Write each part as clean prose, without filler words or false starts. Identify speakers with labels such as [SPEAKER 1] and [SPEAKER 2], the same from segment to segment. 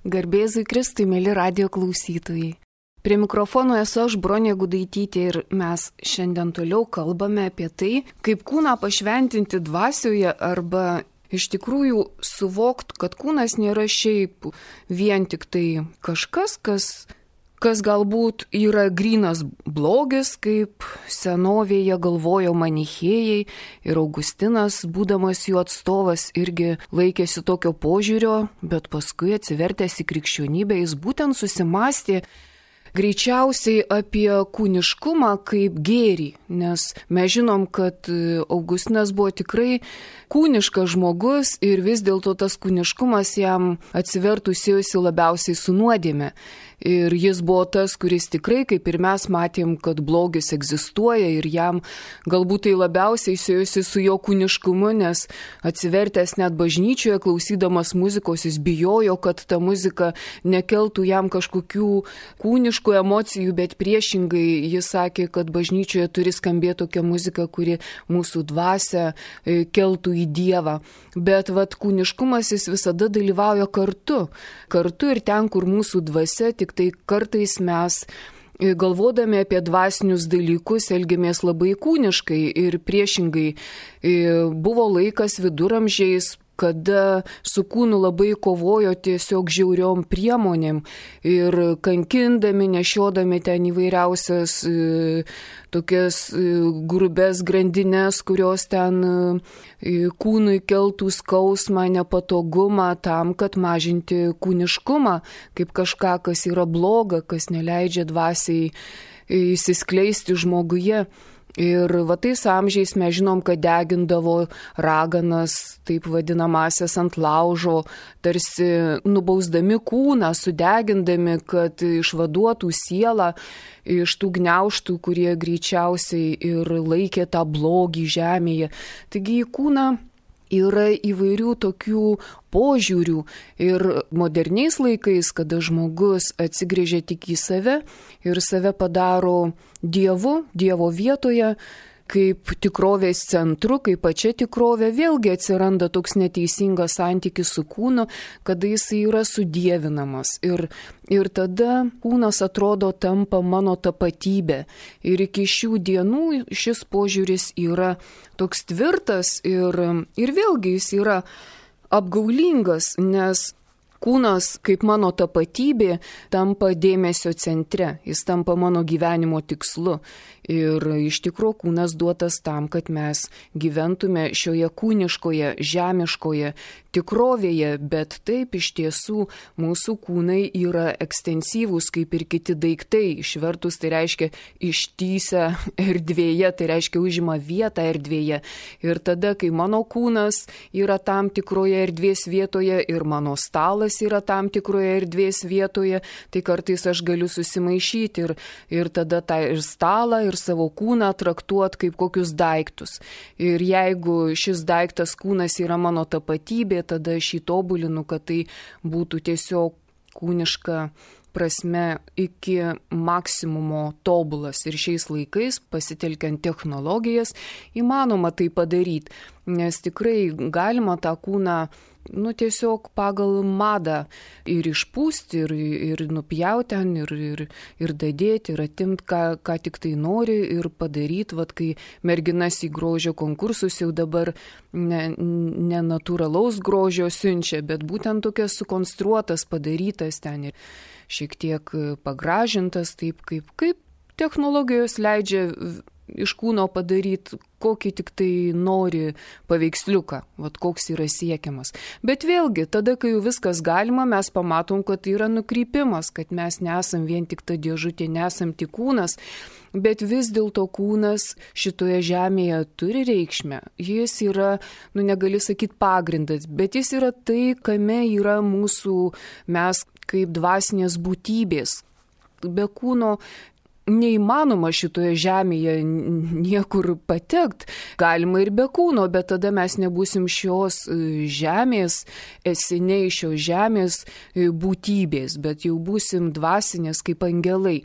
[SPEAKER 1] Garbėzui Kristui, mėly radijo klausytojai. Prie mikrofono esu aš, Bronė Gudaitytė, ir mes šiandien toliau kalbame apie tai, kaip kūną pašventinti dvasioje arba iš tikrųjų suvokt, kad kūnas nėra šiaip vien tik tai kažkas, kas galbūt yra grynas blogis, kaip senovėje galvojo manichėjai, ir Augustinas, būdamas jų atstovas, irgi laikėsi tokio požiūrio, bet paskui atsivertęs į krikščionybę jis būtent susimastė greičiausiai apie kūniškumą kaip gėrį, nes mes žinom, kad Augustinas buvo tikrai kūniškas žmogus ir vis dėlto tas kūniškumas jam atsivertus ėjosi labiausiai su nuodėme. Ir jis buvo tas, kuris tikrai, kaip ir mes matėm, kad blogis egzistuoja ir jam galbūt tai labiausiai siejosi su jo kūniškumu, nes atsivertęs net bažnyčioje, klausydamas muzikos, jis bijojo, kad ta muzika nekeltų jam kažkokių kūniškų emocijų, bet priešingai jis sakė, kad bažnyčioje turi skambėti tokia muzika, kuri mūsų dvasią keltų į Dievą. Bet kūniškumas jis visada dalyvauja kartu ir ten, kur mūsų dvasia, tik tai kartais mes, galvodami apie dvasinius dalykus, elgiamės labai kūniškai ir priešingai. Buvo laikas viduramžiais, kada su kūnu labai kovojo tiesiog žiauriom priemonėm ir kankindami, nešiodami ten įvairiausias tokias grubes grandines, kurios ten kūnui keltų skausmą, nepatogumą tam, kad mažinti kūniškumą, kaip kažką, kas yra bloga, kas neleidžia dvasiai įsiskleisti žmoguje. Ir tais amžiais mes žinom, kad degindavo raganas, taip vadinamasias ant laužo, tarsi nubausdami kūną, sudegindami, kad išvaduotų sielą iš tų gniaužtų, kurie greičiausiai ir laikė tą blogį žemėje. Taigi į kūną yra įvairių tokių požiūrių ir moderniais laikais, kada žmogus atsigrėžia tik į save ir save padaro Dievo vietoje, kaip tikrovės centru, kaip pačia tikrovė, vėlgi atsiranda toks neteisingas santykis su kūnu, kada jis yra sudievinamas. Ir tada kūnas atrodo tampa mano tapatybė. Ir iki šių dienų šis požiūris yra toks tvirtas ir vėlgi jis yra apgaulingas, nes kūnas kaip mano tapatybė tampa dėmesio centre, jis tampa mano gyvenimo tikslu. Ir iš tikrųjų kūnas duotas tam, kad mes gyventume šioje kūniškoje, žemiškoje tikrovėje, bet taip iš tiesų mūsų kūnai yra ekstensyvūs kaip ir kiti daiktai. Išvertus tai reiškia ištįsę erdvėje, tai reiškia užima vietą erdvėje. Ir tada, kai mano kūnas yra tam tikroje erdvės vietoje ir mano stalas yra tam tikroje erdvės vietoje, tai kartais aš galiu susimaišyti ir tada tą ir stalą, ir savo kūną traktuot kaip kokius daiktus. Ir jeigu šis daiktas kūnas yra mano tapatybė, tada aš jį tobulinu, kad tai būtų tiesiog kūniška prasme iki maksimumo tobulas. Ir šiais laikais, pasitelkiant technologijas, įmanoma tai padaryti, nes tikrai galima tą kūną tiesiog pagal madą ir išpūsti, ir nupjauti ten, ir dadėti, ir atimti, ką tik tai nori, ir padaryti, kai merginas į grožio konkursus jau dabar ne natūralaus grožio siunčia, bet būtent tokias sukonstruotas, padarytas ten ir šiek tiek pagražintas, taip kaip technologijos leidžia iš kūno padaryti kokį tik tai nori paveiksliuką, koks yra siekiamas. Bet vėlgi, tada, kai jau viskas galima, mes pamatom, kad tai yra nukrypimas, kad mes nesam vien tik ta dėžutė, nesam tik kūnas, bet vis dėlto kūnas šitoje žemėje turi reikšmę. Jis yra, negali sakyti pagrindas, bet jis yra tai, kame yra mūsų mes kaip dvasinės būtybės. Be kūno neįmanoma šitoje žemėje niekur patekt. Galima ir be kūno, bet tada mes nebūsim šios žemės, esiniai šios žemės būtybės, bet jau būsim dvasinės kaip angelai.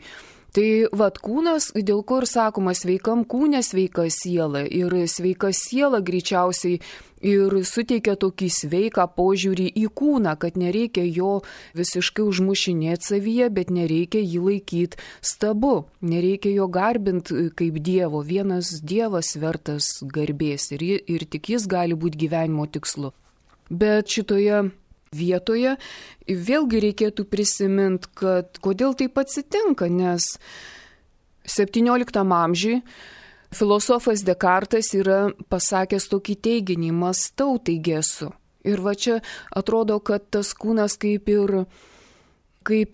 [SPEAKER 1] Tai vat kūnas, dėl ko ir sakoma, sveikam kūne sveika siela. Ir sveika siela greičiausiai ir suteikia tokį sveiką požiūrį į kūną, kad nereikia jo visiškai užmušinėti savyje, bet nereikia jį laikyti stabu. Nereikia jo garbinti kaip Dievo. Vienas Dievas vertas garbės ir tik jis gali būti gyvenimo tikslu. Bet šitoje vietoje vėlgi reikėtų prisiminti, kad kodėl taip atsitinka, nes 17 amžiui filosofas Dekartas yra pasakęs tokį teiginį: mąstau, taigi esu. Ir va čia atrodo, kad tas kūnas kaip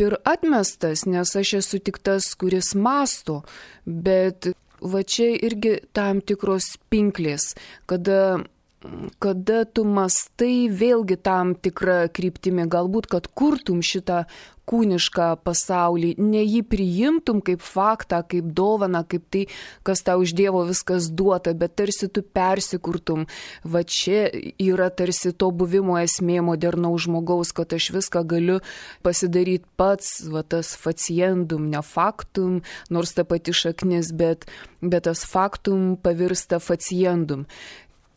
[SPEAKER 1] ir atmestas, nes aš esu tik tas, kuris mąsto, bet va čia irgi tam tikros pinklės, kada tu mastai vėlgi tam tikrą kryptimį, galbūt, kad kurtum šitą kūnišką pasaulį, ne jį priimtum kaip faktą, kaip dovaną, kaip tai, kas tau iš Dievo viskas duota, bet tarsi tu persikurtum. Va čia yra tarsi to buvimo esmė modernaus žmogaus, kad aš viską galiu pasidaryti pats, va tas faciendum, ne faktum, nors ta pati šaknis, bet tas faktum pavirsta faciendum.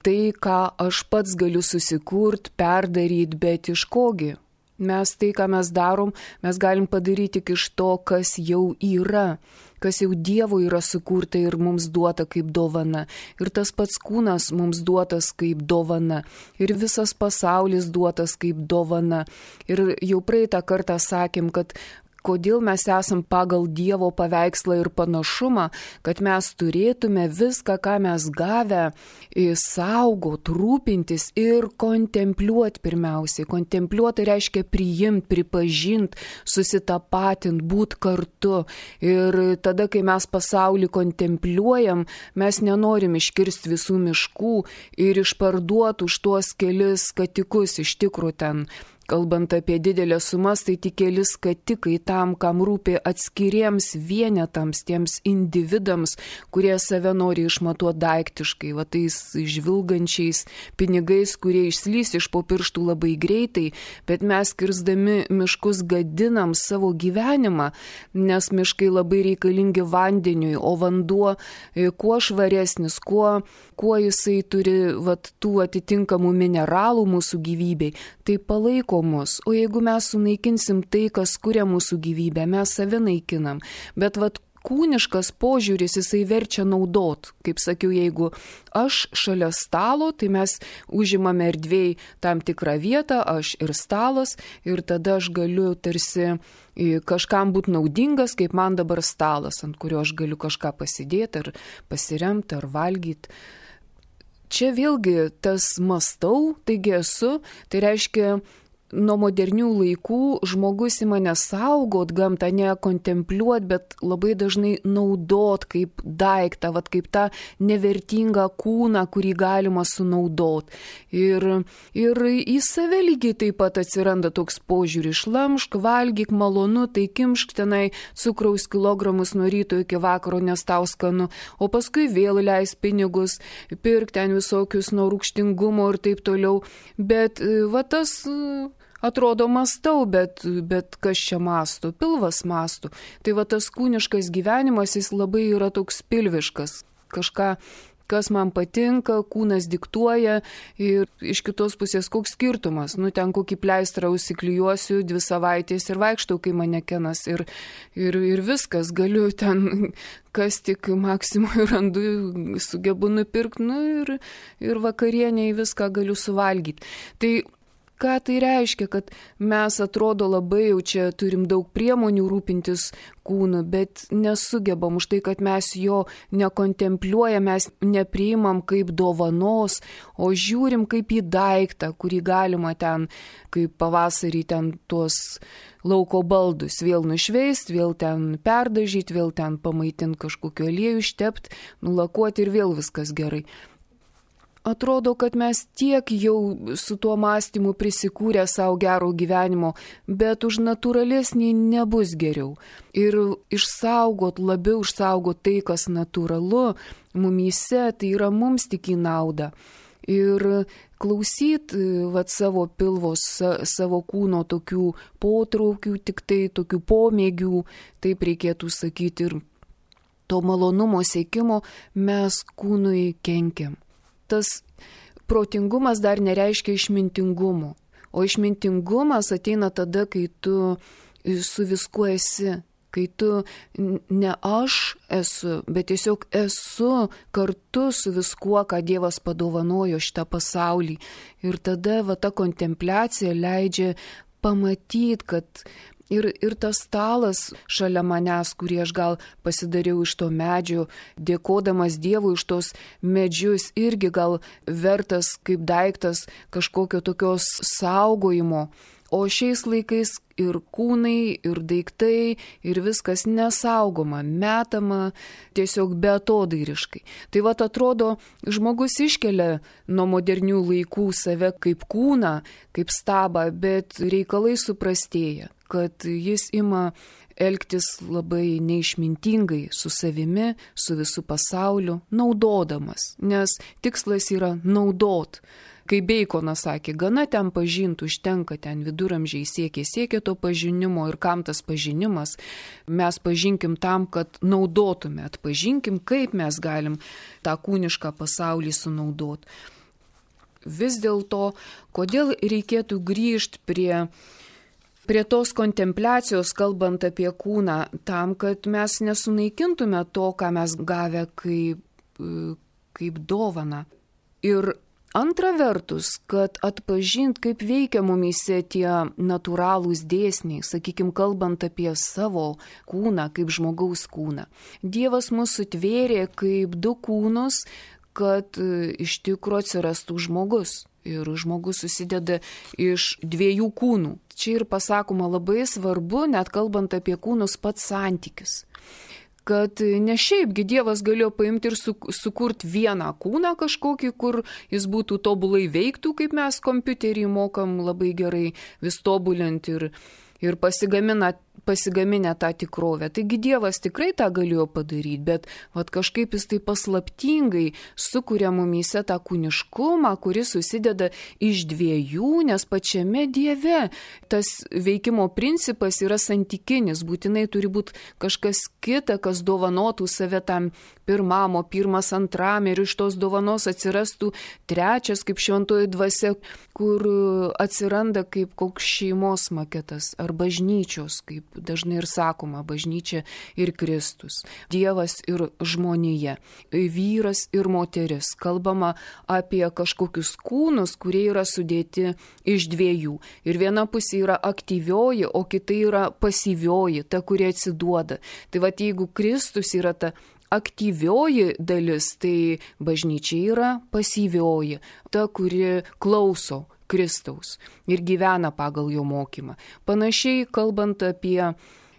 [SPEAKER 1] Tai, ką aš pats galiu susikurt, perdaryti, bet iš kogi? Mes tai, ką mes darom, mes galim padaryti tik iš to, kas jau yra, kas jau Dievo yra sukurta ir mums duota kaip dovana. Ir tas pats kūnas mums duotas kaip dovana. Ir visas pasaulis duotas kaip dovana. Ir jau praeitą kartą sakėm, kad kodėl mes esam pagal Dievo paveikslą ir panašumą, kad mes turėtume viską, ką mes gavę, saugot, rūpintis ir kontempliuoti pirmiausiai. Kontempliuoti reiškia priimti, pripažinti, susitapatinti, būti kartu. Ir tada, kai mes pasaulį kontempliuojam, mes nenorim iškirsti visų miškų ir išparduoti už tuos kelis skatikus iš tikrųjų ten. Kalbant apie didelės sumas, tai tik keli skatikai tam, kam rūpi atskiriems vienetams, tiems individams, kurie save nori išmatuoti daiktiškai, va tais žvilgančiais pinigais, kurie išslys iš po pirštų labai greitai, bet mes kirzdami miškus gadinam savo gyvenimą, nes miškai labai reikalingi vandeniui, o vanduo kuo švaresnis, kuo jisai turi vat, tų atitinkamų mineralų mūsų gyvybei, tai palaiko mus. O jeigu mes sunaikinsim tai, kas kuria mūsų gyvybę, mes save naikinam. Bet vat kūniškas požiūris, jisai verčia naudot. Kaip sakiau, jeigu aš šalia stalo, tai mes užimame erdvėj tam tikrą vietą, aš ir stalas, ir tada aš galiu tarsi kažkam būti naudingas, kaip man dabar stalas, ant kurio aš galiu kažką pasidėti, ar pasiremti, ar valgyti. Čia vėlgi tas mąstau, taigi esu, tai reiškia, nuo modernių laikų žmogus ima nesaugot gamtą, ne kontempliuot, bet labai dažnai naudot kaip daiktą, vat kaip tą nevertingą kūną, kurį galima sunaudot. Ir į save lygiai taip pat atsiranda toks požiūris: šlamšk, valgyk, malonu, tai kimšk tenai cukraus kilogramus nuo ryto iki vakaro, nes tau skanu, o paskui vėl leis pinigus, pirk ten visokius nuo rūgštingumo ir taip toliau. Bet va tas atrodo mąstau, bet kas čia mąsto? Pilvas mąsto. Tai va tas kūniškas gyvenimas, jis labai yra toks pilviškas. Kažką, kas man patinka, kūnas diktuoja ir iš kitos pusės koks skirtumas. Nu, ten kokį pleistrą užsiklijuosiu 2 savaitės ir vaikštau kaip manekenas ir viskas, galiu ten kas tik maksimui randu, sugebu nupirkti, nu ir vakarieniai viską galiu suvalgyti. Tai ką tai reiškia, kad mes atrodo labai jau čia turim daug priemonių rūpintis kūnu, bet nesugebam už tai, kad mes jo nekontempliuojam, mes nepriimam kaip dovanos, o žiūrim kaip į daiktą, kurį galima ten, kaip pavasarį ten tuos lauko baldus vėl nušveist, vėl ten perdažyti, vėl ten pamaitinti kažkokiu aliejų, ištepti, nulakuoti ir vėl viskas gerai. Atrodo, kad mes tiek jau su tuo mąstymu prisikūrę savo gero gyvenimo, bet už natūralesnį nebus geriau. Ir labiau išsaugot tai, kas natūralu mumyse, tai yra mums tik į naudą. Ir klausyti savo pilvos, savo kūno tokių potraukių, tik tai tokių pomėgių, taip reikėtų sakyti, ir to malonumo siekimo mes kūnui kenkiam. Tas protingumas dar nereiškia išmintingumo, o išmintingumas ateina tada, kai tu su viskuo esi. Kai tu ne aš esu, bet tiesiog esu kartu su viskuo, ką Dievas padovanojo šitą pasaulį. Ir tada ta kontempliacija leidžia pamatyti, kad ir tas stalas šalia manęs, kurį aš gal pasidariau iš to medžio, dėkodamas Dievui už tos medžius, irgi gal vertas kaip daiktas kažkokio tokios saugojimo. O šiais laikais ir kūnai, ir daiktai, ir viskas nesaugoma, metama tiesiog beatodairiškai. Tai atrodo, žmogus iškelia nuo modernių laikų save kaip kūną, kaip stabą, bet reikalai suprastėja, kad jis ima elgtis labai neišmintingai su savimi, su visu pasauliu, naudodamas, nes tikslas yra naudot. Kai Beikonas sakė, gana ten pažinti, užtenka ten viduramžiai siekia to pažinimo ir kam tas pažinimas, mes pažinkim tam, kad naudotume, atpažinkim, kaip mes galim tą kūnišką pasaulį sunaudoti. Vis dėlto, kodėl reikėtų grįžti prie tos kontempliacijos, kalbant apie kūną, tam, kad mes nesunaikintume to, ką mes gavę kaip dovaną. Ir antra vertus, kad atpažint, kaip veikia mumyse tie natūralūs dėsniai, sakykime, kalbant apie savo kūną, kaip žmogaus kūną. Dievas mus sutvėrė kaip du kūnus, kad iš tikro atsirastų žmogus. Ir žmogus susideda iš dviejų kūnų. Čia ir pasakoma labai svarbu, net kalbant apie kūnus, pats santykis. Kad ne šiaipgi Dievas galėjo paimti ir sukurti vieną kūną kažkokį, kur jis būtų tobulai veiktų, kaip mes kompiuterį mokam labai gerai vis tobulinti ir pasigaminę tą tikrovę. Taigi Dievas tikrai tą galėjo padaryti, bet kažkaip jis tai paslaptingai sukuria mumyse tą kūniškumą, kuris susideda iš dviejų, nes pačiame Dieve tas veikimo principas yra santykinis, būtinai turi būti kažkas kita, kas dovanotų save tam pirmam, o pirmas antram, ir iš tos dovanos atsirastų trečias kaip šventoji dvasia, kur atsiranda kaip koks šeimos maketas ar bažnyčios, kaip dažnai ir sakoma, bažnyčia ir Kristus, Dievas ir žmonija, vyras ir moteris. Kalbama apie kažkokius kūnus, kurie yra sudėti iš dviejų. Ir viena pusė yra aktyvioji, o kita yra pasyvioji, ta, kuri atsiduoda. Tai jeigu Kristus yra ta aktyvioji dalis, tai bažnyčia yra pasyvioji, ta, kuri klauso Kristaus ir gyvena pagal jo mokymą. Panašiai kalbant apie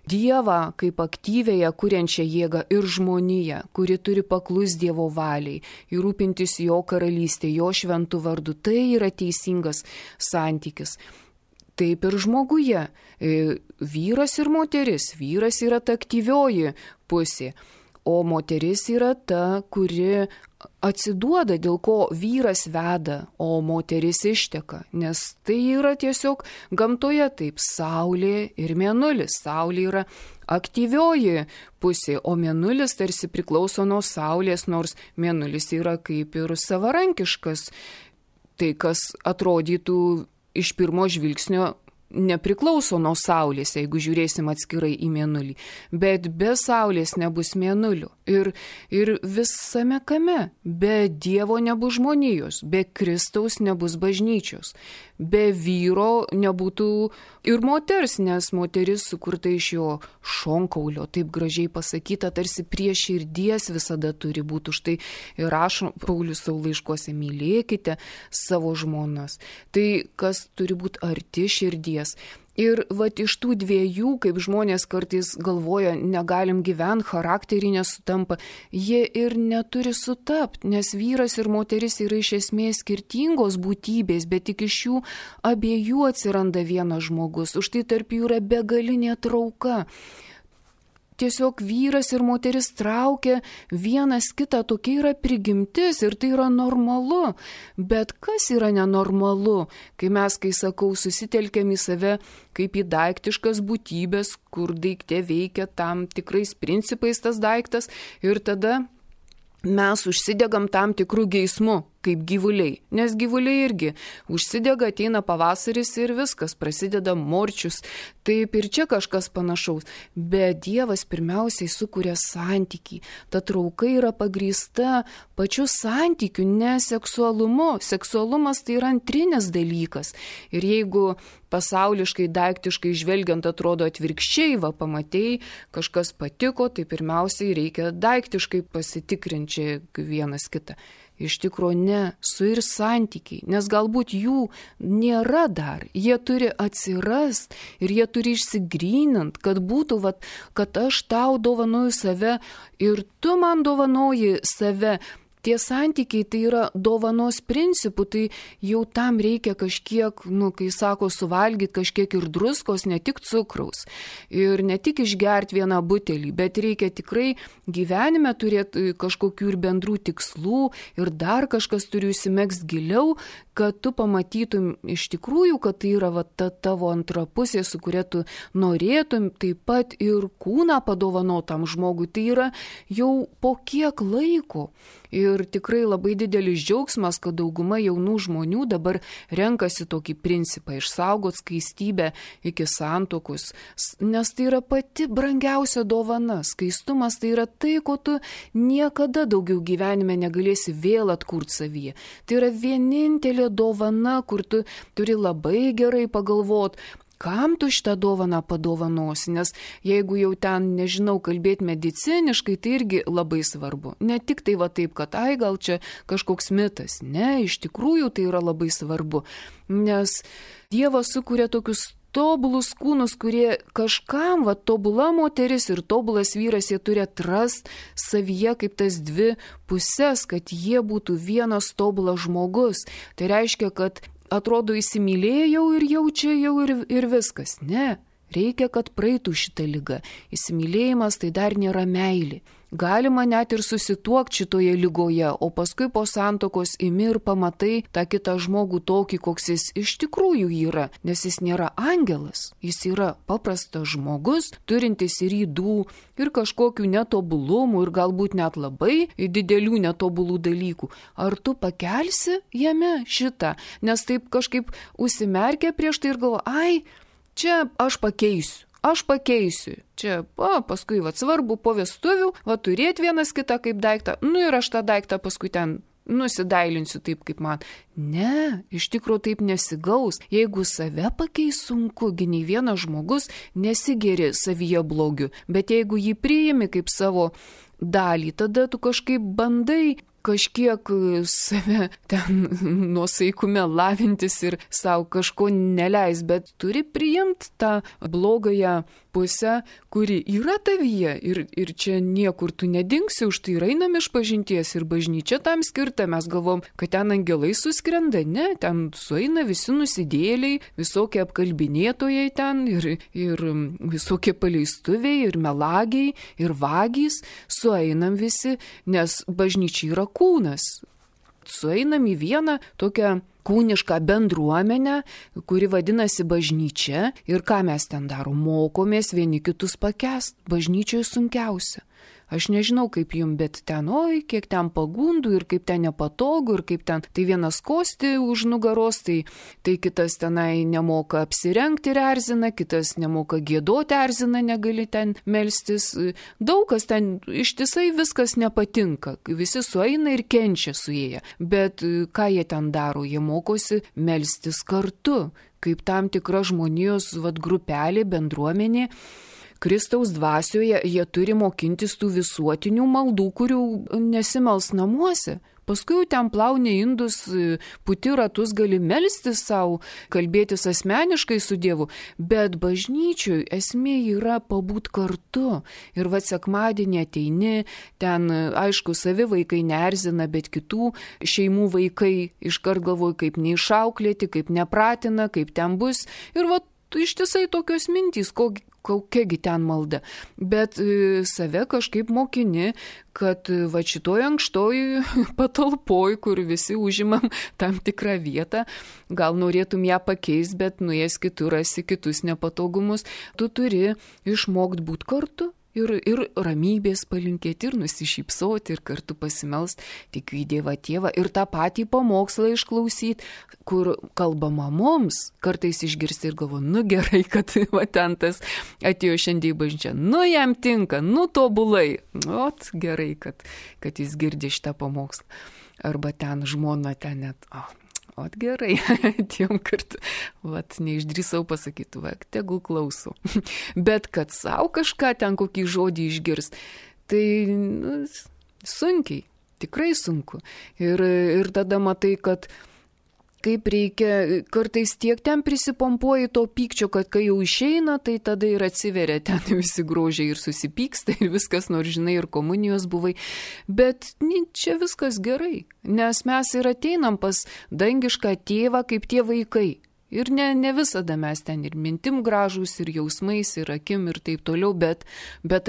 [SPEAKER 1] Dievą kaip aktyvėją, kuriančią jėgą ir žmoniją, kuri turi paklus Dievo valiai ir rūpintis jo karalystė, jo šventų vardu, tai yra teisingas santykis. Taip ir žmoguje. Vyras ir moteris. Vyras yra ta aktyvioji pusė, o moteris yra ta, kuri atsiduoda, dėl ko vyras veda, o moteris išteka, nes tai yra tiesiog gamtoje taip, saulė ir mėnulis. Saulė yra aktyvioji pusė, o mėnulis tarsi priklauso nuo saulės, nors mėnulis yra kaip ir savarankiškas. Tai, kas atrodytų iš pirmo žvilgsnio nepriklauso nuo saulės, jeigu žiūrėsim atskirai į mėnulį. Bet be saulės nebus mėnulio. Ir visame kame. Be Dievo nebus žmonijos, be Kristaus nebus bažnyčios. Be vyro nebūtų ir moters, nes moteris sukurta iš jo šonkaulio, taip gražiai pasakyta, tarsi prie širdies visada turi būti. Už tai ir rašo Paulius savo laiškuose, mylėkite savo žmonas. Tai, kas turi būti arti širdies. Ir iš tų dviejų, kaip žmonės kartais galvoja, negalim gyventi, charakteriai nesutampa, jie ir neturi sutapti, nes vyras ir moteris yra iš esmės skirtingos būtybės, bet tik iš jų abiejų atsiranda vienas žmogus, už tai tarp jų yra begalinė trauka. tiesiog vyras ir moteris traukia vienas kitą, tokia yra prigimtis ir tai yra normalu. Bet kas yra nenormalu, kai sakau, susitelkiam į save kaip į daiktiškas būtybės, kur daikte veikia tam tikrais principais tas daiktas ir tada mes užsidegam tam tikrų geismų, kaip gyvuliai. Nes gyvuliai irgi užsidega, ateina pavasaris ir viskas, prasideda morčius. Taip ir čia kažkas panašaus. Bet Dievas pirmiausiai sukuria santykį. Ta trauka yra pagrįsta pačiu santykiu, ne seksualumu. Seksualumas tai yra antrinis dalykas. Ir jeigu pasauliškai, daiktiškai žvelgiant atrodo atvirkščiai, pamatei, kažkas patiko, tai pirmiausiai reikia daiktiškai pasitikrinti vienas kitą. Iš tikrųjų ne, su ir santykiai, nes galbūt jų nėra dar, jie turi atsirast ir jie turi išsigrynint, kad būtų, kad aš tau dovanoju save ir tu man dovanoji save. Tie santykiai tai yra dovanos principų, tai jau tam reikia kažkiek, kai sako suvalgyti kažkiek ir druskos, ne tik cukraus. Ir ne tik išgerti vieną butelį, bet reikia tikrai gyvenime turėti kažkokių ir bendrų tikslų ir dar kažkas turi įsimegzti giliau, kad tu pamatytum iš tikrųjų, kad tai yra ta tavo antra pusė, su kuria tu norėtum taip pat ir kūną padovanotam žmogui. Tai yra jau po kiek laiko. Ir tikrai labai didelis džiaugsmas, kad dauguma jaunų žmonių dabar renkasi tokį principą išsaugoti skaistybę iki santuokos, nes tai yra pati brangiausia dovana. Skaistumas tai yra tai, ko tu niekada daugiau gyvenime negalėsi vėl atkurti savyje. Tai yra vienintelė dovana, kur tu turi labai gerai pagalvoti, kam tu šitą dovaną padovanosi, nes jeigu jau ten, nežinau, kalbėti mediciniškai, tai irgi labai svarbu. Ne tik tai taip, kad gal čia kažkoks mitas. Ne, iš tikrųjų tai yra labai svarbu, nes Dievas sukuria tokius tobulus kūnus, kurie kažkam, tobula moteris ir tobulas vyras, jie turi atrasti savyje kaip tas dvi pusės, kad jie būtų vienas tobulas žmogus. Tai reiškia, kad atrodo įsimylėjau ir jaučiau ir viskas. Ne, reikia, kad praeitų šitą ligą. Įsimylėjimas tai dar nėra meilė. Galima net ir susituokti šitoje lygoje, o paskui po santuokos imi ir pamatai tą kitą žmogų tokį, koks jis iš tikrųjų yra, nes jis nėra angelas, jis yra paprastas žmogus, turintis ir ydų, ir kažkokių netobulumų, ir galbūt net labai didelių netobulų dalykų. Ar tu pakelsi jame šitą, nes taip kažkaip užsimerkia prieš tai ir galvo, čia aš pakeisiu. Čia, paskui, svarbu po vestuvių, turėti vienas kitą kaip daiktą, ir aš tą daiktą paskui ten nusidailinsiu taip, kaip man. Ne, iš tikrųjų taip nesigaus. Jeigu save pakeis sunku, nei vienas žmogus nesigeri savyje blogiu, bet jeigu jį priimi kaip savo dalį, tada tu kažkaip bandai kažkiek save ten nuosaikume lavintis ir savo kažko neleis, bet turi priimti tą blogąją pusę, kuri yra tavyje ir čia niekur tu nedingsi, už tai einam iš pažinties ir bažnyčia tam skirta, mes galvom, kad ten angelai suskrenda, ne, ten sueina visi nusidėliai, visokie apkalbinėtojai ten ir visokie paleistuviai ir melagiai ir vagys, sueinam visi, nes bažnyčia yra kūnas. Sueinam į vieną tokią kūnišką bendruomenę, kuri vadinasi bažnyčia ir ką mes ten darom, mokomės vieni kitus pakęst. Bažnyčioje sunkiausia. Aš nežinau kaip jum, bet ten, kiek ten pagundų ir kaip ten nepatogu ir kaip ten, tai vienas kosti už nugaros, tai kitas tenai nemoka apsirengti ir erzina, kitas nemoka giedoti, erzina, negali ten melstis. Daug kas ten ištisai viskas nepatinka, visi sueina ir kenčia suėję, bet ką jie ten daro, jie mokosi melstis kartu, kaip tam tikra žmonijos grupelė, bendruomenė. Kristaus dvasioje jie turi mokintis tų visuotinių maldų, kurių nesimels namuose. Paskui jau ten plauni indus, puti ratus, gali melstis savo, kalbėtis asmeniškai su Dievu, bet bažnyčioj esmė yra pabūt kartu. Ir sekmadienį ateini, ten aišku savi vaikai neerzina, bet kitų šeimų vaikai iškart galvoja, kaip neišauklėti, kaip nepratina, kaip ten bus. Ir ištisai tokios mintys, kokiagi ten malda. Bet save kažkaip mokini, kad va šitoj ankštoj patalpoj, kur visi užimam tam tikrą vietą, gal norėtum ją pakeisti, bet nuėjęs kitur rasi kitus nepatogumus, tu turi išmokti būti kartu. Ir ramybės palinkėti, ir nusišypsoti, ir kartu pasimelst, tikiu į Dievą Tėvą, ir tą patį pamokslą išklausyti, kur kalbama mums, kartais išgirsti ir galvo, nu gerai, kad va ten tas atėjo šiandien į bažnyčią, nu jam tinka, nu tobulai, ot gerai, kad jis girdi šitą pamokslą, arba ten žmona ten net, ot gerai, tiem kartu, vat neišdrįsau pasakyti, va, tegul klausau. Bet kad savo kažką ten kokį žodį išgirs, tai sunkiai, tikrai sunku. Ir tada matai, kad kaip reikia, kartais tiek ten prisipompuoji to pykčio, kad kai jau išeina, tai tada ir atsiveria ten visi grožiai ir susipyksta ir viskas, nors žinai, ir komunijos buvai. Bet čia viskas gerai, nes mes ir ateinam pas dangišką tėvą kaip tie vaikai. Ir ne visada mes ten ir mintim gražus, ir jausmais, ir akim, ir taip toliau, bet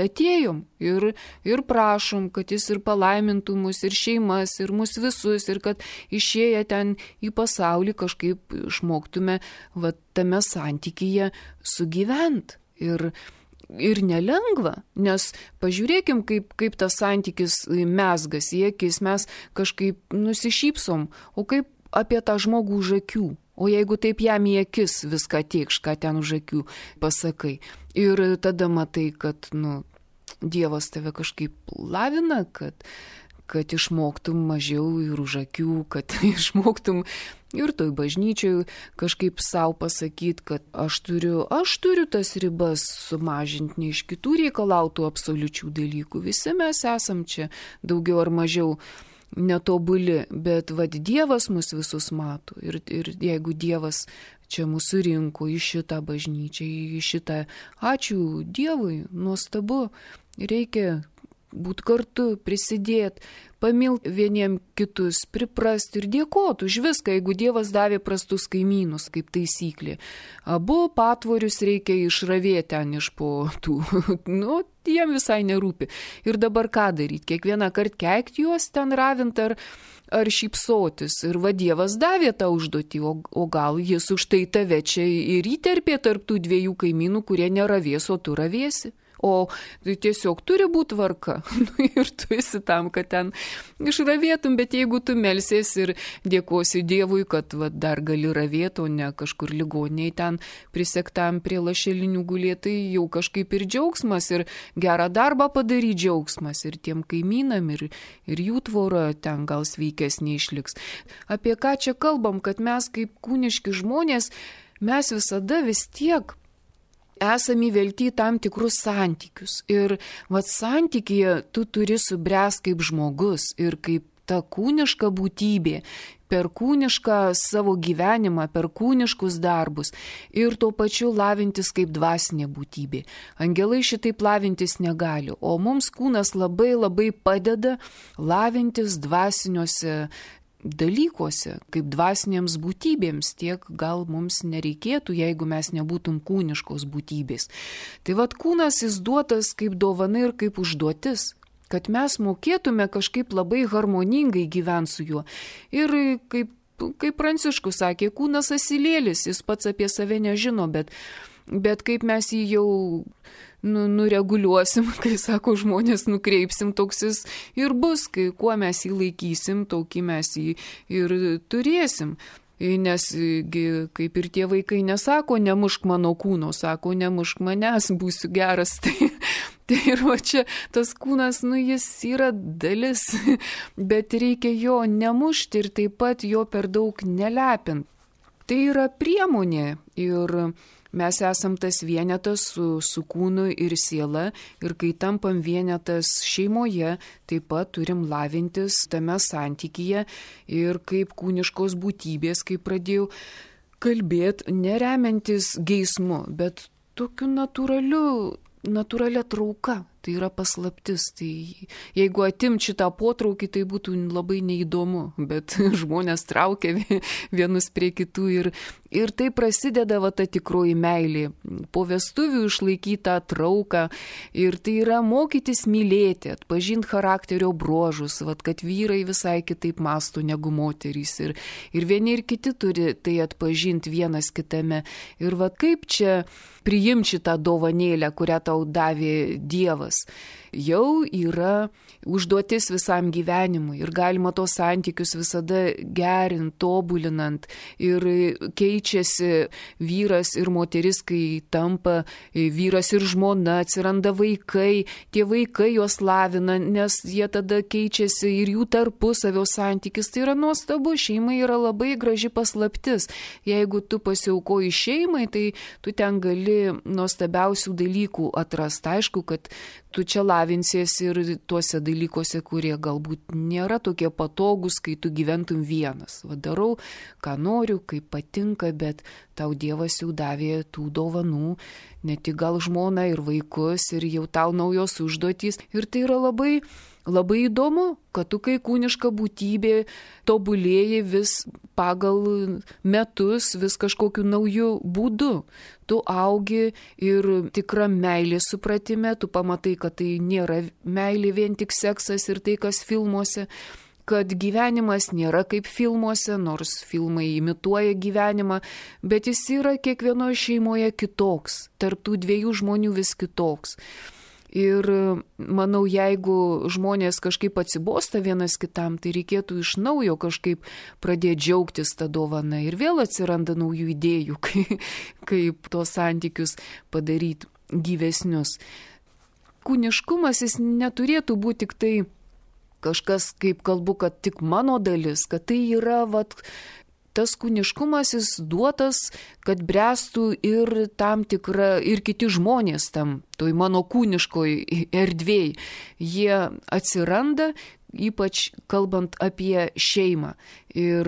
[SPEAKER 1] atėjom ir prašom, kad jis ir palaimintų mus, ir šeimas, ir mus visus, ir kad išėję ten į pasaulį kažkaip išmoktume va, tame santykyje sugyvent. Ir nelengva, nes pažiūrėkim, kaip tas santykis mezgas į akis, mes kažkaip nusišypsom, o kaip apie tą žmogų už akių. O jeigu taip jam į akis viską tiekš, ką ten už akių pasakai. Ir tada matai, kad Dievas tave kažkaip lavina, kad išmoktum mažiau ir už akių, kad išmoktum ir toj bažnyčioj kažkaip savo pasakyti, kad aš turiu tas ribas sumažinti, ne iš kitų reikalautų absoliučių dalykų. Visi mes esam čia daugiau ar mažiau netobuli, bet vad Dievas mus visus mato. Ir jeigu Dievas čia mūsų rinko į šitą bažnyčią, į šitą, ačiū Dievui, nuostabu, reikia būti kartu, prisidėti, pamilti vieniem kitus, priprasti ir dėkoti už viską, jeigu Dievas davė prastus kaimynus, kaip taisyklė. Abu patvorius reikia išravėti ten iš po tų, jiem visai nerūpi. Ir dabar ką daryti? Kiekvieną kartą keikti juos ten ravint ar šypsotis. Ir va Dievas davė tą užduotį, o gal jis už tai tave čia ir įterpė tarp tų dviejų kaimynų, kurie neravės, o tu ravėsi. O tiesiog turi būti tvarka. Ir tu esi tam, kad ten išravėtum, bet jeigu tu melsies ir dėkosi Dievui, kad dar gali ravėti, o ne kažkur ligoniai ten prisektam prie lašelinių gulėti, tai jau kažkaip ir džiaugsmas, ir gerą darbą padaryti džiaugsmas, ir tiem kaimynam, ir jų tvora ten gal sveikesnė išliks. Apie ką čia kalbam, kad mes kaip kūniški žmonės, mes visada vis tiek esame įvelti į tam tikrus santykius. Ir santykyje tu turi subręsti kaip žmogus ir kaip ta kūniška būtybė, per kūnišką savo gyvenimą, per kūniškus darbus ir tuo pačiu lavintis kaip dvasinė būtybė. Angelai šitaip lavintis negali, o mums kūnas labai labai padeda lavintis dvasiniuose dalykuose, kaip dvasinėms būtybėms, tiek gal mums nereikėtų, jeigu mes nebūtum kūniškos būtybės. Tai kūnas jis duotas kaip dovana ir kaip užduotis, kad mes mokėtume kažkaip labai harmoningai gyventi su juo. Ir kaip Pranciškus sakė, kūnas asilėlis, jis pats apie save nežino, bet kaip mes jį jau nureguliuosim, kai sako žmonės, nukreipsim, toks jis ir bus, kai kuo mes jį laikysim, tokį mes jį ir turėsim. Nes kaip ir tie vaikai nesako, nemušk mano kūno, sako, nemušk manęs, būsiu geras. Tai ir čia tas kūnas, jis yra dalis, bet reikia jo nemušti ir taip pat jo per daug nelepint. Tai yra priemonė ir mes esam tas vienetas su kūnu ir siela ir kai tampam vienetas šeimoje, taip pat turim lavintis tame santykyje ir kaip kūniškos būtybės, kaip pradėjau kalbėti, neremiantis geismu, bet tokiu natūralia trauka. Tai yra paslaptis. Tai jeigu atimt šitą potraukį, tai būtų labai neįdomu, bet žmonės traukia vienus prie kitų ir tai prasideda ta tikroji meilė. Po vestuvių išlaikytą trauką ir tai yra mokytis mylėti, atpažinti charakterio bruožus, kad vyrai visai kitaip mąsto negu moterys ir vieni ir kiti turi tai atpažinti vienas kitame. Ir kaip čia priimti šitą dovanėlę, kurią tau davė Dievas. Jau yra užduotis visam gyvenimui ir galima tos santykius visada gerinti, tobulinant ir keičiasi vyras ir moteris, kai tampa vyras ir žmona, atsiranda vaikai, tie vaikai juos lavina, nes jie tada keičiasi ir jų tarpusavio santykis. Tai yra nuostabu, šeima yra labai graži paslaptis. Jeigu tu pasiaukoji šeimai, tai tu ten gali nuostabiausių dalykų atrasti. Aišku, kad tu čia lavinsiesi ir tuose dalykuose, kurie galbūt nėra tokie patogus, kai tu gyventum vienas. Darau, ką noriu, kaip patinka, bet tau Dievas jau davė tų dovanų, ne tik gal žmoną ir vaikus, ir jau tau naujos užduotys. Ir tai yra labai, labai įdomu, kad tu kai kūniška būtybė tobulėji vis pagal metus, vis kažkokiu nauju būdu. Tu augi ir tikra meilė supratime, tu pamatai, kad tai nėra meilė vien tik seksas ir tai, kas filmuose, kad gyvenimas nėra kaip filmuose, nors filmai imituoja gyvenimą, bet jis yra kiekvienoje šeimoje kitoks, tarp tų dviejų žmonių vis kitoks. Ir manau, jeigu žmonės kažkaip atsibosta vienas kitam, tai reikėtų iš naujo kažkaip pradėti džiaugtis tą dovaną ir vėl atsiranda naujų idėjų, kaip tos santykius padaryti gyvesnius. Kūniškumas jis neturėtų būti tik tai kažkas, kaip kalbu, kad tik mano dalis, kad tai yra tas kūniškumas jis duotas, kad bręstų ir tam tikra, ir kiti žmonės tam, toj mano kūniškoj erdvėj. Jie atsiranda, ypač kalbant apie šeimą. Ir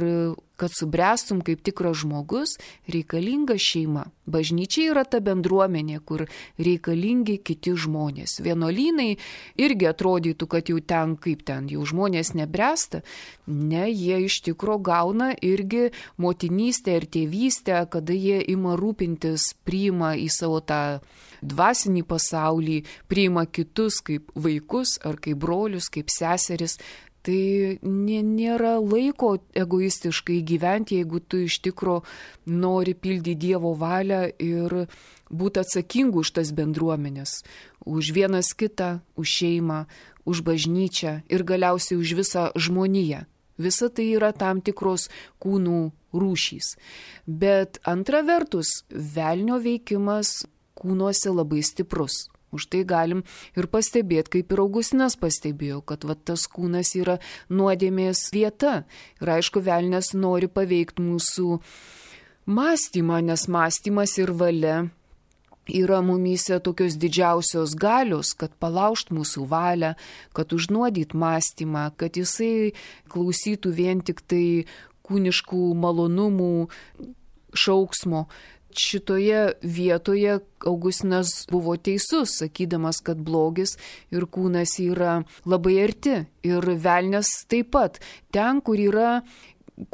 [SPEAKER 1] kad subręstum kaip tikras žmogus, reikalinga šeima. Bažnyčia yra ta bendruomenė, kur reikalingi kiti žmonės. Vienuolynai irgi atrodytų, kad jau ten, kaip ten, jau žmonės nebręsta. Ne, jie iš tikro gauna irgi motinystę ir tėvystę, kada jie ima rūpintis, priima į savo tą dvasinį pasaulį, priima kitus kaip vaikus ar kaip brolius, kaip seseris. Tai nėra laiko egoistiškai gyventi, jeigu tu iš tikro nori pildyti Dievo valią ir būti atsakingu už tas bendruomenės, už vienas kitą, už šeimą, už bažnyčią ir galiausiai už visą žmoniją. Visa tai yra tam tikros kūnų rūšys. Bet antra vertus, velnio veikimas kūnuose labai stiprus. Už tai galim ir pastebėti, kaip ir Augustinas pastebėjo, kad tas kūnas yra nuodėmės vieta. Ir aišku, velnias nori paveikti mūsų mąstymą, nes mąstymas ir valia yra mumyse tokios didžiausios galios, kad palaužt mūsų valią, kad užnuodyt mąstymą, kad jisai klausytų vien tik tai kūniškų malonumų šauksmo. Šitoje vietoje Augustinas buvo teisus, sakydamas, kad blogis ir kūnas yra labai arti. Ir velnias taip pat. Ten, kur yra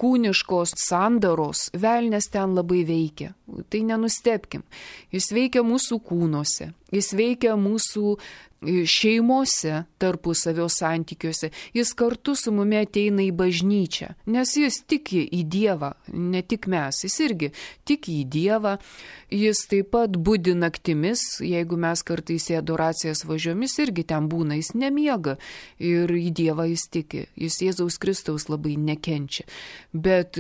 [SPEAKER 1] kūniškos sandaros, velnias ten labai veikia. Tai nenustebkim. Jis veikia mūsų kūnuose, jis veikia mūsų šeimose, tarpusavio santykiuose. Jis kartu su mumi ateina į bažnyčią, nes jis tiki į Dievą, ne tik mes, jis irgi tiki į Dievą. Jis taip pat budi naktimis, jeigu mes kartais į adoracijas važiuojam, jis irgi ten būna, jis nemiega ir į Dievą jis tiki. Jis Jėzaus Kristaus labai nekenčia. Bet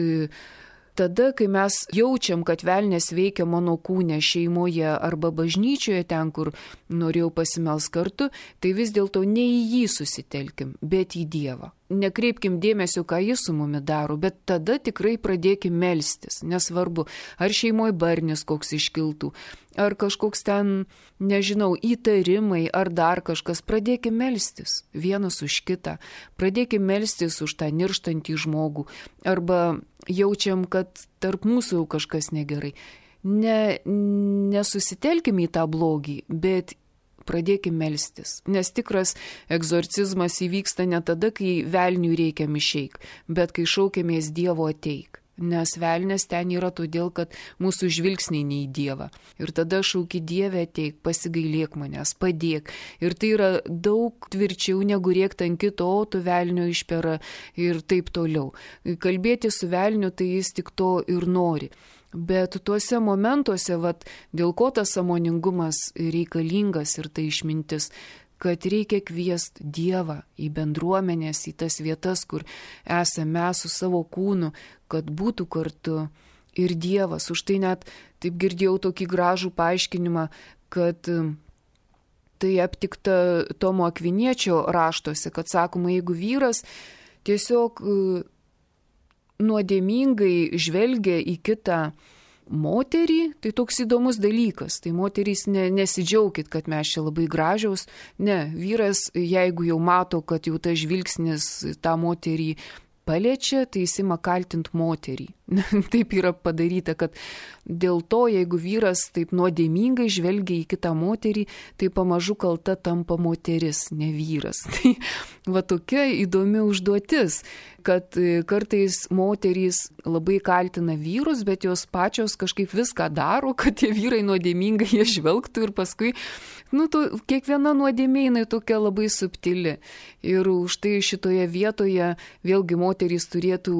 [SPEAKER 1] tada, kai mes jaučiam, kad velnias veikia mano kūne, šeimoje arba bažnyčioje, ten, kur norėjau pasimels kartu, tai vis dėlto ne į jį susitelkim, bet į Dievą. Nekreipkim dėmesio, ką jis su mumi daro, bet tada tikrai pradėkim melstis. Nesvarbu, ar šeimoje barnis koks iškiltų, ar kažkoks ten, nežinau, įtarimai, ar dar kažkas. Pradėkim melstis vienas už kitą. Pradėkim melstis už tą nirštantį žmogų. Arba jaučiam, kad tarp mūsų jau kažkas negerai. Nesusitelkim į tą blogį, bet pradėkim melstis. Nes tikras egzorcizmas įvyksta ne tada, kai velniui reikia išeik, bet kai šaukiamės Dievo ateik. Nes velnės ten yra todėl, kad mūsų žvilgsniai ne į Dievą. Ir tada šauki Dieve ateik, pasigailėk manęs, padėk. Ir tai yra daug tvirčiau negu rėkti ant kito, o tu velnio išpera ir taip toliau. Kalbėti su velniu, tai jis tik to ir nori. Bet tuose momentuose, dėl ko tas sąmoningumas reikalingas ir tai išmintis, kad reikia kviesti Dievą į bendruomenės, į tas vietas, kur esame mes su savo kūnu, kad būtų kartu ir Dievas. Už tai net taip girdėjau tokį gražų paaiškinimą, kad tai aptikta Tomo Akviniečio raštuose, kad sakoma, jeigu vyras tiesiog nuodėmingai žvelgia į kitą moterį, tai toks įdomus dalykas. Tai moterys nesidžiaukit, kad mes čia labai gražiaus. Ne, vyras, jeigu jau mato, kad jau tas žvilgsnis tą moterį paliečia, tai jis ima kaltinti moterį. Taip yra padaryta, kad dėl to, jeigu vyras taip nuodėmingai žvelgia į kitą moterį, tai pamažu kalta tampa moteris, ne vyras. Tai tokia įdomi užduotis, kad kartais moterys labai kaltina vyrus, bet jos pačios kažkaip viską daro, kad tie vyrai nuodėmingai jie žvelgtų ir paskui, kiekviena nuodėmė jinai tokia labai subtili. Ir už tai šitoje vietoje vėlgi moterys turėtų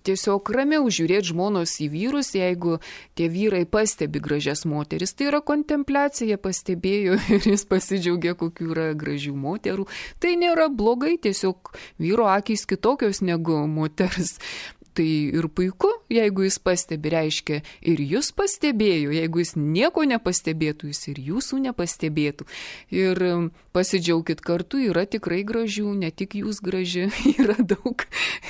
[SPEAKER 1] tiesiog ramiau žiūrėti žmonos į vyrus, jeigu tie vyrai pastebi gražias moteris. Tai yra kontempliacija, pastebėjo ir jis pasidžiaugia, kokių yra gražių moterų. Tai nėra blogai, tiesiog vyro akys kitokios negu moters. Tai ir puiku, jeigu jis pastebi, reiškia ir jūs pastebėjo, jeigu jis nieko nepastebėtų, jis ir jūsų nepastebėtų. Ir pasidžiaukit kartu, yra tikrai gražių, ne tik jūs graži, yra daug.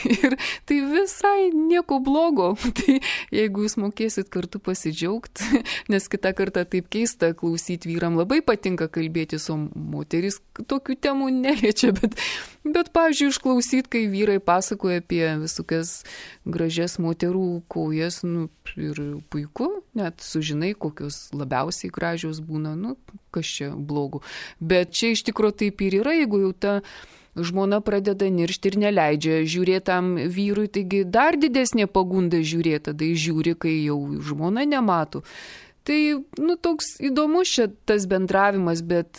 [SPEAKER 1] Ir tai visai nieko blogo. Tai jeigu jūs mokėsit kartu pasidžiaugti, nes kitą kartą taip keista klausyti vyram, labai patinka kalbėtis, o moteris tokių temų neliečia, bet pavyzdžiui, išklausyti, kai vyrai pasakoja apie visokias gražias moterų kojas, ir puiku, net sužinai, kokios labiausiai gražios būna, kas čia blogo. Bet čia iš tikrųjų taip ir yra, jeigu jau ta žmona pradeda niršti ir neleidžia žiūrėtam vyrui, taigi dar didesnė pagunda žiūrėti, tada žiūri, kai jau žmona nemato. Tai, toks įdomus čia tas bendravimas, bet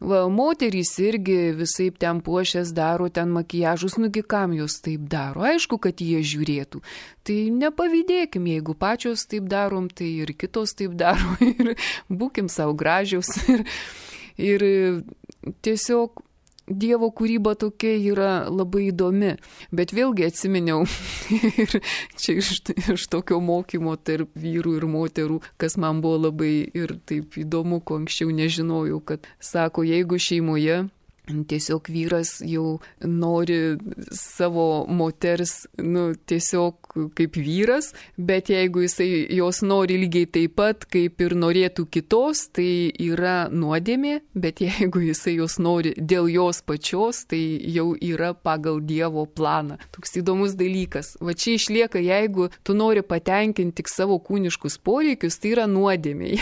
[SPEAKER 1] moterys irgi visaip ten puošės daro, ten makijažus, kam jos taip daro. Aišku, kad jie žiūrėtų. Tai nepavydėkim, jeigu pačios taip darom, tai ir kitos taip daro. Ir būkim savo gražiaus. Ir tiesiog Dievo kūryba tokia yra labai įdomi. Bet vėlgi atsiminiau ir čia iš tokio mokymo tarp vyrų ir moterų, kas man buvo labai ir taip įdomu, ko anksčiau nežinojau, kad sako, jeigu šeimoje tiesiog vyras jau nori savo moters, tiesiog kaip vyras, bet jeigu jisai jos nori lygiai taip pat, kaip ir norėtų kitos, tai yra nuodėmė, bet jeigu jisai jos nori dėl jos pačios, tai jau yra pagal Dievo planą. Toks įdomus dalykas. Va čia išlieka, jeigu tu nori patenkinti tik savo kūniškus poreikius, tai yra nuodėmė.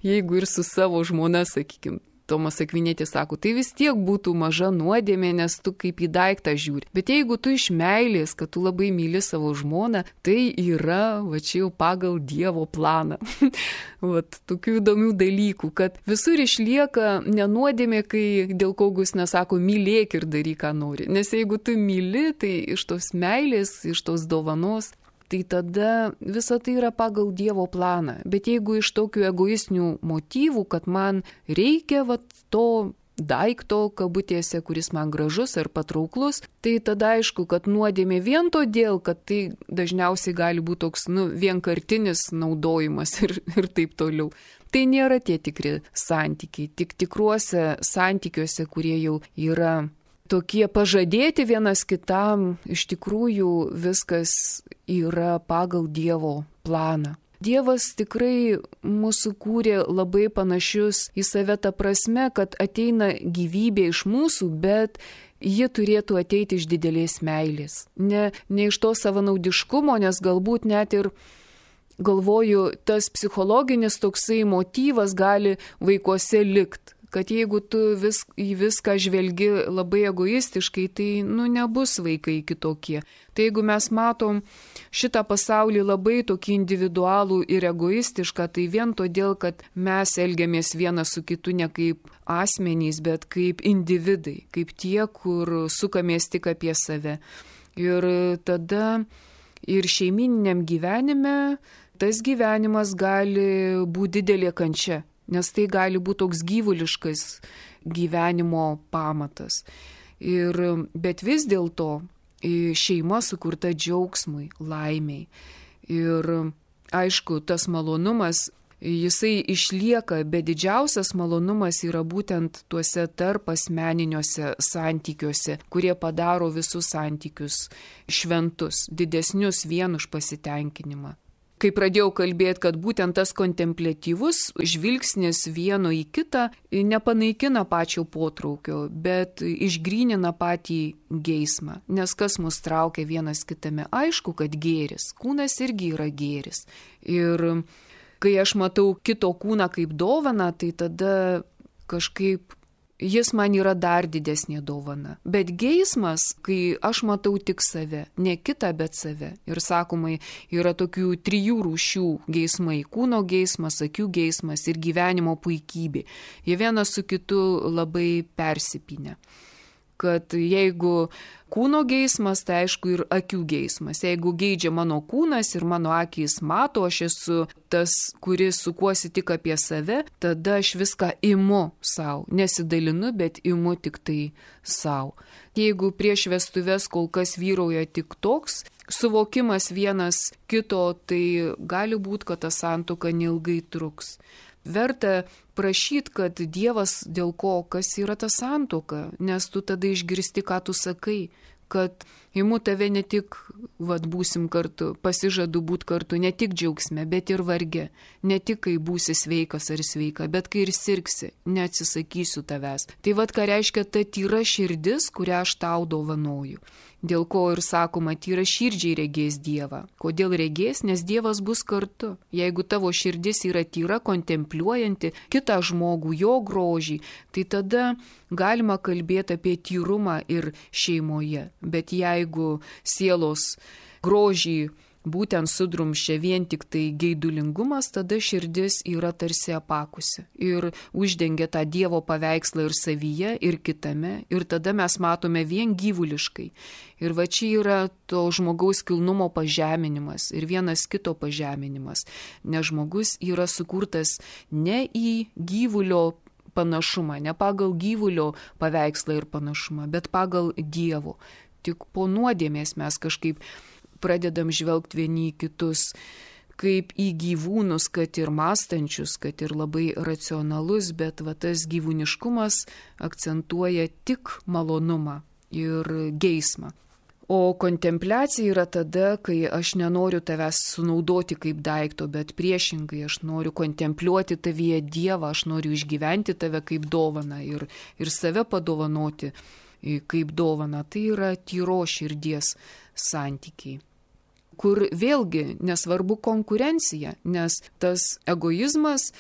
[SPEAKER 1] Jeigu ir su savo žmona, sakykime, Tomas Akvinėtis sako, tai vis tiek būtų maža nuodėmė, nes tu kaip į daiktą žiūri. Bet jeigu tu iš meilės, kad tu labai myli savo žmoną, tai yra, čia jau pagal Dievo planą. Tokių įdomių dalykų, kad visur išlieka nenuodėmė, kai dėl kogus nesako, mylėk ir daryk, ką nori. Nes jeigu tu myli, tai iš tos meilės, iš tos dovanos, tai tada visa tai yra pagal Dievo planą. Bet jeigu iš tokių egoistinių motyvų, kad man reikia to daikto kabutėse, kuris man gražus ar patrauklus, tai tada aišku, kad nuodėmė vien todėl, kad tai dažniausiai gali būti toks vienkartinis naudojimas ir taip toliau. Tai nėra tie tikri santykiai. Tik tikruose santykiuose, kurie jau yra tokie pažadėti vienas kitam, iš tikrųjų viskas yra pagal Dievo planą. Dievas tikrai mūsų kūrė labai panašius į save tą prasme, kad ateina gyvybė iš mūsų, bet ji turėtų ateiti iš didelės meilės. Ne iš to savanaudiškumo, nes galbūt net ir galvoju, tas psichologinis toksai motyvas gali vaikuose likti. kad jeigu tu į viską žvelgi labai egoistiškai, tai nebus vaikai kitokie. Tai jeigu mes matom šitą pasaulį labai tokį individualų ir egoistišką, tai vien todėl, kad mes elgiamės vienas su kitu ne kaip asmenys, bet kaip individai, kaip tie, kur sukamės tik apie save. Ir tada ir šeimininiam gyvenime tas gyvenimas gali būti didelė kančia, nes tai gali būti toks gyvuliškas gyvenimo pamatas. Bet vis dėlto šeima sukurta džiaugsmui, laimiai. Ir aišku, tas malonumas, jisai išlieka, bet didžiausias malonumas yra būtent tuose tarp asmeniniuose santykiuose, kurie padaro visus santykius šventus, didesnius vien už pasitenkinimą. Kai pradėjau kalbėti, kad būtent tas kontempliatyvus žvilgsnis vieno į kitą nepanaikina pačio potraukio, bet išgrynina patį geismą. Nes kas mus traukia vienas kitame? Aišku, kad gėris. Kūnas irgi yra gėris. Ir kai aš matau kito kūną kaip dovaną, tai tada kažkaip jis man yra dar didesnė dovana. Bet geismas, kai aš matau tik save, ne kitą, bet save. Ir sakomai, yra tokių 3 rūšių geismai - kūno geismas, akių geismas ir gyvenimo puikybė. Jie vienas su kitu labai persipynę. Kad jeigu kūno geismas, tai aišku ir akių geismas. Jeigu geidžia mano kūnas ir mano akys mato, aš esu tas, kuris sukuosi tik apie save, tada aš viską imu savo. Nesidalinu, bet imu tik tai savo. Jeigu prieš vestuves kol kas vyrauja tik toks suvokimas vienas kito, tai gali būti, kad ta santuoka neilgai truks. Verta prašyti, kad Dievas dėl ko, kas yra ta santuoka, nes tu tada išgirsti, ką tu sakai, kad imu tave ne tik, būsim kartu, pasižadu būti kartu, ne tik džiaugsme, bet ir varge, ne tik kai būsi sveikas ar sveika, bet kai ir sirgsi, neatsisakysiu tavęs. Tai ką reiškia ta tyra širdis, kurią aš tau dovanoju. Dėl ko ir sakoma, tyra širdžiai regės Dievą. Kodėl regės? Nes Dievas bus kartu. Jeigu tavo širdis yra tyra, kontempliuojanti kitą žmogų, jo grožį, tai tada galima kalbėti apie tyrumą ir šeimoje. Bet jeigu sielos grožį būtent sudrumščia vien tik tai geidulingumas, tada širdis yra tarsi apakusi ir uždengia tą Dievo paveikslą ir savyje, ir kitame, ir tada mes matome vien gyvuliškai. Ir čia yra to žmogaus kilnumo pažeminimas ir vienas kito pažeminimas, nes žmogus yra sukurtas ne į gyvulio panašumą, ne pagal gyvulio paveikslą ir panašumą, bet pagal Dievo. Tik po nuodėmės mes kažkaip pradedam žvelgti vieni į kitus kaip į gyvūnus, kad ir mąstančius, kad ir labai racionalus, bet tas gyvūniškumas akcentuoja tik malonumą ir geismą. O kontempliacija yra tada, kai aš nenoriu tavęs sunaudoti kaip daikto, bet priešingai aš noriu kontempliuoti tavyje Dievą, aš noriu išgyventi tave kaip dovaną ir save padovanoti kaip dovana. Tai yra tyro širdies santykiai, kur vėlgi nesvarbu konkurencija, nes tas egoizmas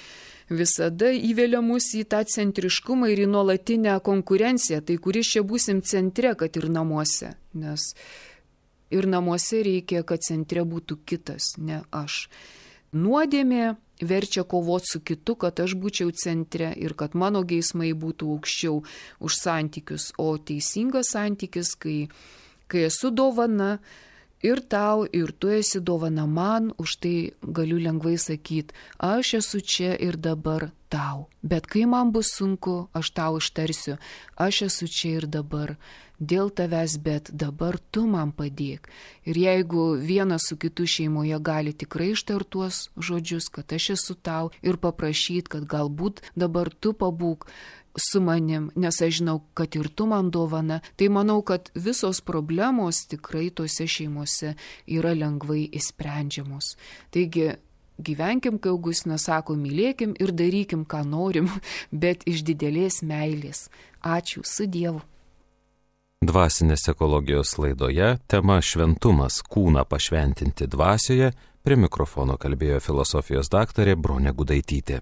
[SPEAKER 1] visada įvelia mus į tą centriškumą ir į nuolatinę konkurenciją, tai kuris čia būsim centre, kad ir namuose, nes ir namuose reikia, kad centre būtų kitas, ne aš. Nuodėmė verčia kovoti su kitu, kad aš būčiau centre ir kad mano geismai būtų aukščiau už santykius, o teisingas santykis, kai esu dovana ir tau, ir tu esi dovana man, už tai galiu lengvai sakyti, aš esu čia ir dabar tau. Bet kai man bus sunku, aš tau ištarsiu, aš esu čia ir dabar dėl tavęs, bet dabar tu man padėk. Ir jeigu vienas su kitu šeimoje gali tikrai ištartuos žodžius, kad aš esu tau ir paprašyti, kad galbūt dabar tu pabūk su manim, nes aš žinau, kad ir tu man dovana, tai manau, kad visos problemos tikrai tose šeimose yra lengvai išsprendžiamos. Taigi, gyvenkim, kai Augustinas sako, mylėkim ir darykim, ką norim, bet iš didelės meilės. Ačiū, su Dievu.
[SPEAKER 2] Dvasinės ekologijos laidoje tema šventumas, kūną pašventinti dvasioje, prie mikrofono kalbėjo filosofijos daktarė Bronė Gudaitytė.